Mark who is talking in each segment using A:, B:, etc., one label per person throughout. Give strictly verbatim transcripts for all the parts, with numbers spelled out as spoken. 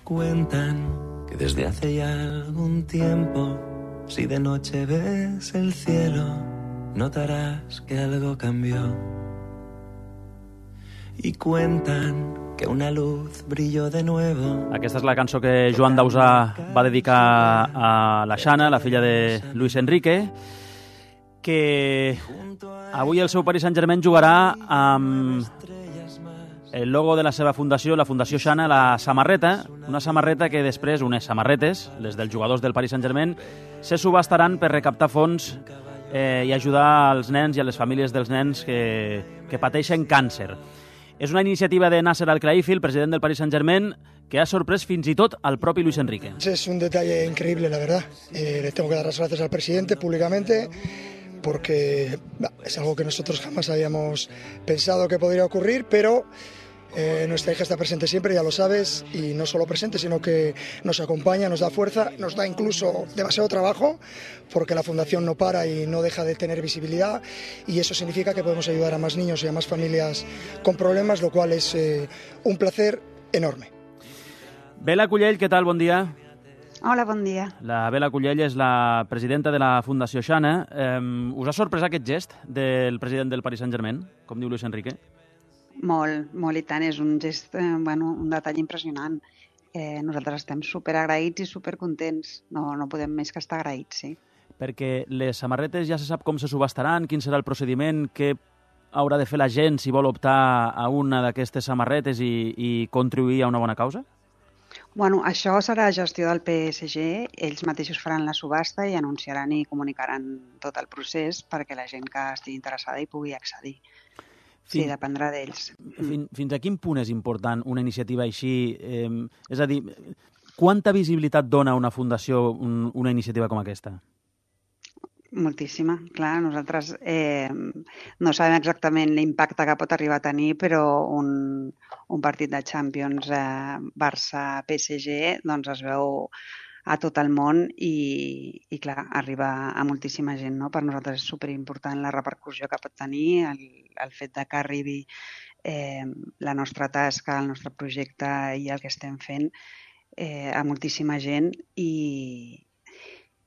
A: Cuentan que desde hace ya algún tiempo, si de noche ves el cielo, notarás que algo cambió. Y cuentan que una luz brilló de nuevo.
B: Aquesta és la cançó que Joan Dausà va dedicar a la Xana, la filla de Luis Enrique, que avui el seu Paris Saint-Germain jugarà amb el logo de la seva fundació, la Fundació Xana, la samarreta, una samarreta que després, unes samarretes, les dels jugadors del Paris Saint-Germain, se subastaran per recaptar fons eh, i ajudar als nens i a les famílies dels nens que, que pateixen càncer. És una iniciativa de Nasser Al-Khelaifi, el president del Paris Saint-Germain, que ha sorprès fins i tot al propi Luis Enrique.
C: Es un detalle increíble, la verdad. Eh, le tengo que dar las gracias al presidente públicamente porque bah, es algo que nosotros jamás habíamos pensado que podría ocurrir, pero eh, nuestra hija está presente siempre, ya lo sabes, y no solo presente, sino que nos acompaña, nos da fuerza, nos da incluso demasiado trabajo, porque la fundación no para y no deja de tener visibilidad, y eso significa que podemos ayudar a más niños y a más familias con problemas, lo cual es eh, un placer enorme.
B: Bela Cullell, què tal? Bon dia.
D: Hola, bon dia.
B: La Bela Cullell és la presidenta de la Fundació Xana. Eh, us ha sorprès aquest gest del president del Paris Saint-Germain, com diu Luis Enrique?
D: Molt, molt i tant. És un gest, eh, bueno, un detall impressionant. Eh, nosaltres estem superagraïts i supercontents. No, no podem més que estar agraïts, sí.
B: Perquè les samarretes ja se sap com se subastaran, quin serà el procediment, què haurà de fer la gent si vol optar a una d'aquestes samarretes i, i contribuir a una bona causa?
D: Bueno, això serà gestió del P S G. Ells mateixos faran la subhasta i anunciaran i comunicaran tot el procés perquè la gent que estigui interessada hi pugui accedir. Sí,
B: Fins,
D: dependrà d'ells.
B: Fins, fins a quin punt és important una iniciativa així? Eh, és a dir, quanta visibilitat dona una fundació un, una iniciativa com aquesta?
D: Moltíssima. Clar, nosaltres eh, no sabem exactament l'impacte que pot arribar a tenir, però un, un partit de Champions eh, Barça-P S G doncs es veu a tot el món i, i clar, arriba a moltíssima gent, no? Per nosaltres és superimportant la repercussió que pot tenir, el, el fet de que arribi eh, la nostra tasca, el nostre projecte i el que estem fent eh, a moltíssima gent i,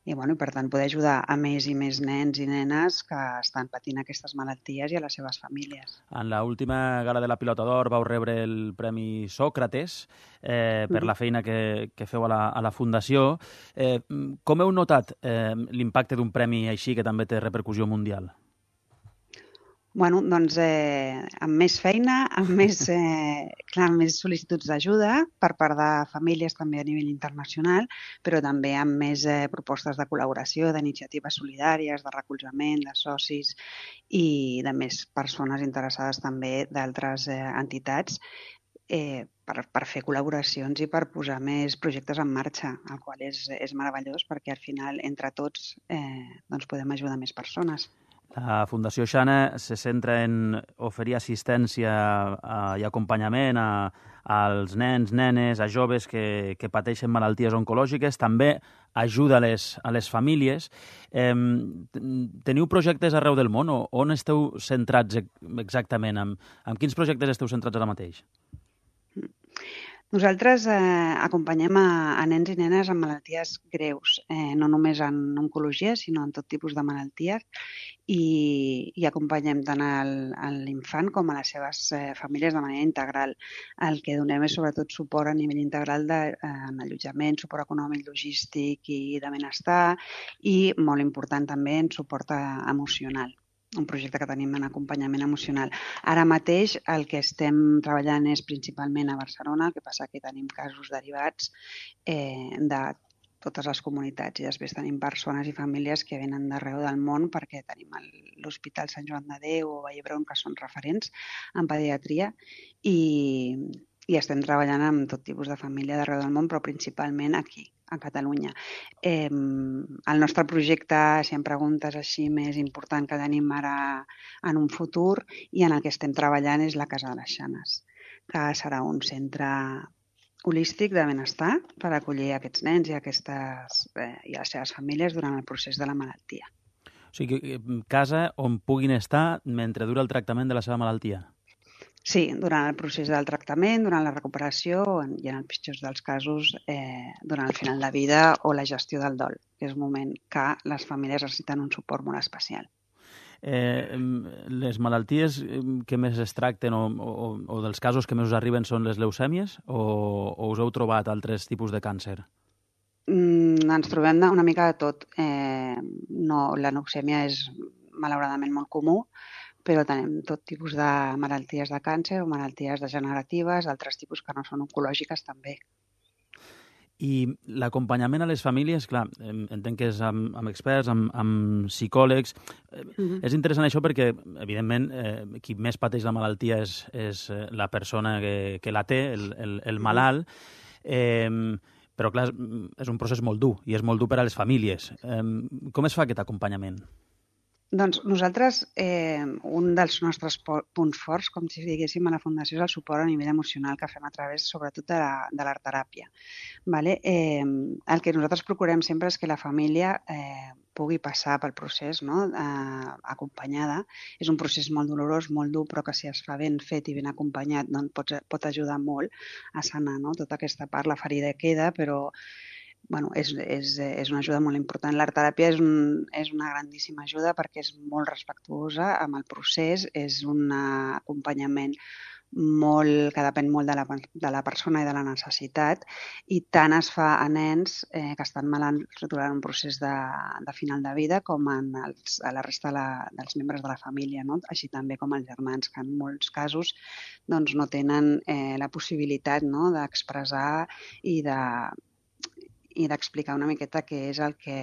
D: i, bueno, i per tant poder ajudar a més i més nens i nenes que estan patint aquestes malalties i a les seves famílies.
B: En l'última gala de la Pilota d'Or vau rebre el Premi Sòcrates eh, per la feina que, que feu a la, a la Fundació. Eh, com heu notat eh, l'impacte d'un premi així que també té repercussió mundial?
D: Bueno, doncs eh, amb més feina, amb més, eh, clar, més sol·licituds d'ajuda per part de famílies també a nivell internacional, però també amb més eh, propostes de col·laboració, d'iniciatives solidàries, de recolzament, de socis i de més persones interessades també d'altres eh, entitats eh, per, per fer col·laboracions i per posar més projectes en marxa, el qual és, és meravellós perquè al final entre tots eh, doncs podem ajudar més persones.
B: La Fundació Xana se centra en oferir assistència i acompanyament a, als nens, nenes, a joves que, que pateixen malalties oncològiques. També ajuda a les, a les famílies. Eh, teniu projectes arreu del món o on esteu centrats exactament? En, en quins projectes esteu centrats ara mateix?
D: Nosaltres eh, acompanyem a, a nens i nenes amb malalties greus, eh, no només en oncologia, sinó en tot tipus de malalties, i, i acompanyem tant al, a l'infant com a les seves eh, famílies de manera integral. El que donem és sobretot suport a nivell integral de, eh, en allotjament, suport econòmic, logístic i de benestar, i molt important també en suport a, emocional. Un projecte que tenim en acompanyament emocional. Ara mateix el que estem treballant és principalment a Barcelona, el que passa que tenim casos derivats eh, de totes les comunitats i després tenim persones i famílies que venen d'arreu del món perquè tenim l'Hospital Sant Joan de Déu o Vall d'Hebron que són referents en pediatria i, i estem treballant amb tot tipus de família d'arreu del món, però principalment aquí, a Catalunya. Eh, el nostre projecte, si em preguntes així, més important que tenim ara en un futur i en el que estem treballant és la Casa de les Xanes, que serà un centre holístic de benestar per acollir aquests nens i, aquestes, eh, i les seves famílies durant el procés de la malaltia.
B: O sigui, casa on puguin estar mentre dura el tractament de la seva malaltia.
D: Sí, durant el procés del tractament, durant la recuperació i en els pitjors dels casos eh, durant el final de vida o la gestió del dol, que és un moment que les famílies necessiten un suport molt especial.
B: Eh, les malalties que més es tracten o, o, o dels casos que més us arriben són les leucèmies o, o us heu trobat altres tipus de càncer?
D: Mm, ens trobem una mica de tot. Eh, no, la leucèmia és malauradament molt comú, però tenim tot tipus de malalties de càncer o malalties degeneratives, altres tipus que no són oncològiques també.
B: I l'acompanyament a les famílies, clar, entenc que és amb, amb experts, amb, amb psicòlegs. Mm-hmm. És interessant això perquè, evidentment, eh, qui més pateix la malaltia és, és la persona que, que la té, el, el, el malalt, eh, però, clar, és un procés molt dur i és molt dur per a les famílies. Eh, com es fa aquest acompanyament?
D: Doncs nosaltres, eh, un dels nostres punts forts, com si diguéssim, a la Fundació és el suport a nivell emocional que fem a través, sobretot, de la, de l'art-teràpia. Vale? Eh, el que nosaltres procurem sempre és que la família eh, pugui passar pel procés, no? eh, acompanyada. És un procés molt dolorós, molt dur, però que si es fa ben fet i ben acompanyat doncs pot, pot ajudar molt a sanar, no? Tota aquesta part, la ferida queda, però Bueno, és, és, és una ajuda molt important. L'art-teràpia és, un, és una grandíssima ajuda perquè és molt respectuosa amb el procés, és un acompanyament molt, que depèn molt de la, de la persona i de la necessitat, i tant es fa a nens eh, que estan malalts durant un procés de, de final de vida com en els, a la resta de la, dels membres de la família, no? Així també com els germans, que en molts casos doncs, no tenen eh, la possibilitat, no? d'expressar i de i d'explicar una miqueta què és el que,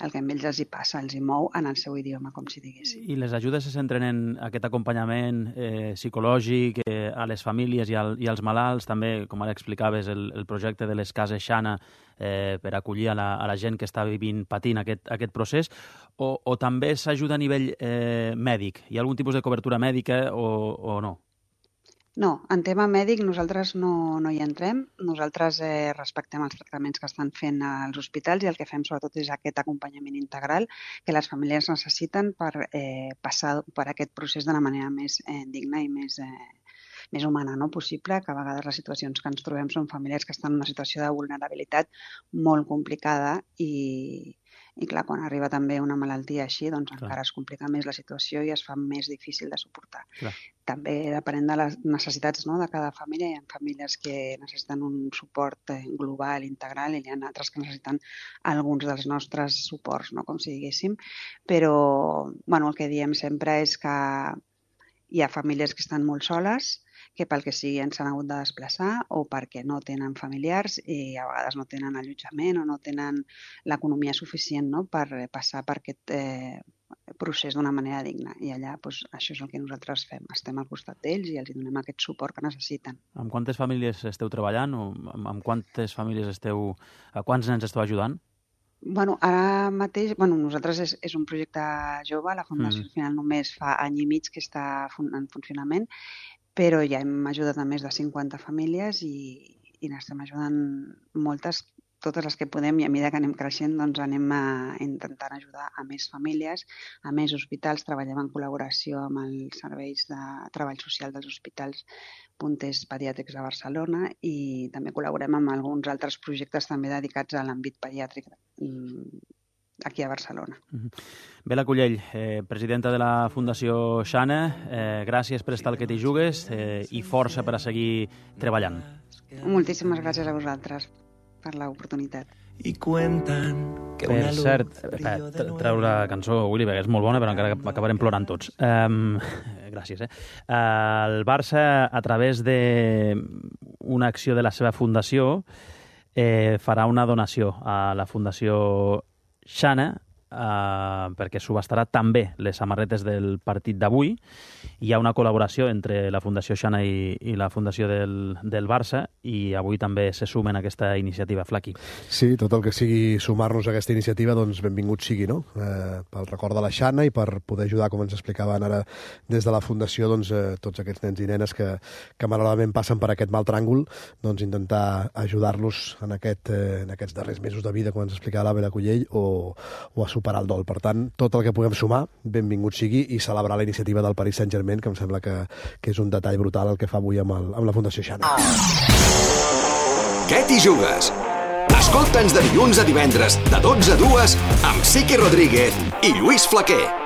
D: el que amb ells els hi passa, els hi mou en el seu idioma, com si diguéssim.
B: I les ajudes se centren en aquest acompanyament eh, psicològic eh, a les famílies i, al, i als malalts, també, com ara explicaves, el, el projecte de les cases Xana eh, per acollir a la, a la gent que està vivint, patint aquest, aquest procés, o, o també s'ajuda a nivell eh, mèdic? Hi ha algun tipus de cobertura mèdica o, o no?
D: No, en tema mèdic nosaltres no, no hi entrem. Nosaltres eh, respectem els tractaments que estan fent als hospitals i el que fem sobretot és aquest acompanyament integral que les famílies necessiten per eh, passar per aquest procés de la manera més eh, digna i més, eh, més humana, no? possible, que a vegades les situacions que ens trobem són famílies que estan en una situació de vulnerabilitat molt complicada i, i clar, quan arriba també una malaltia així, doncs clar, encara es complica més la situació i es fa més difícil de suportar. Clar. També depenent de les necessitats, no?, de cada família. Hi ha famílies que necessiten un suport global, integral, i hi ha altres que necessiten alguns dels nostres suports, no?, com si diguéssim. Però bueno, el que diem sempre és que hi ha famílies que estan molt soles, que pel que sigui ens han hagut de desplaçar o perquè no tenen familiars i a vegades no tenen allotjament o no tenen l'economia suficient, no?, per passar per aquest eh, procés d'una manera digna. I allà doncs, això és el que nosaltres fem. Estem al costat d'ells i els donem aquest suport que necessiten.
B: Amb quantes famílies esteu treballant o amb quantes famílies esteu, a quants nens esteu ajudant?
D: Bueno, ara mateix, bueno, nosaltres és, és un projecte jove, la Fundació mm. al final només fa any i mig que està en funcionament, però ja hem ajudat a més de cinquanta famílies i, i n'estem ajudant moltes, totes les que podem, i a mesura que anem creixent doncs anem a, intentant ajudar a més famílies, a més hospitals. Treballem en col·laboració amb els serveis de treball social dels hospitals punters pediàtrics de Barcelona i també col·laborem amb alguns altres projectes també dedicats a l'àmbit pediàtric aquí a Barcelona.
B: Bela Cullell, eh, presidenta de la Fundació Xana, eh, gràcies per estar al que t'hi jugues eh, i força per a seguir treballant.
D: Moltíssimes gràcies a vosaltres per l'oportunitat.
A: I cuentan que
B: per cert, treu la cançó, Willy, perquè és molt bona, però encara acabarem plorant tots. Um, gràcies. Eh? El Barça, a través d'una acció de la seva fundació, eh, farà una donació a la Fundació Xana eh, perquè subhastarà també les samarretes del partit d'avui. Hi ha una col·laboració entre la Fundació Xana i, i la Fundació del, del Barça i avui també se sumen a aquesta iniciativa. Flaqui.
E: Sí, tot el que sigui sumar-nos a aquesta iniciativa, doncs benvingut sigui, no? Eh, pel record de la Xana i per poder ajudar, com ens explicaven ara des de la Fundació, doncs, eh, tots aquests nens i nenes que, que malauradament passen per aquest mal tràngol, doncs intentar ajudar-los en, aquest, eh, en aquests darrers mesos de vida, com ens explicava la Bela Cullell, o, o a superar el dol. Per tant, tot el que puguem sumar, benvingut sigui, i celebrar la iniciativa del Paris Saint-Germain, que em sembla que, que és un detall brutal el que fa avui amb, el, amb la Fundació Xana.
F: Què t'hi jugues? Escolta'ns de dilluns a divendres, de dotze a dues, amb Siqui Rodríguez i Lluís Flaquer.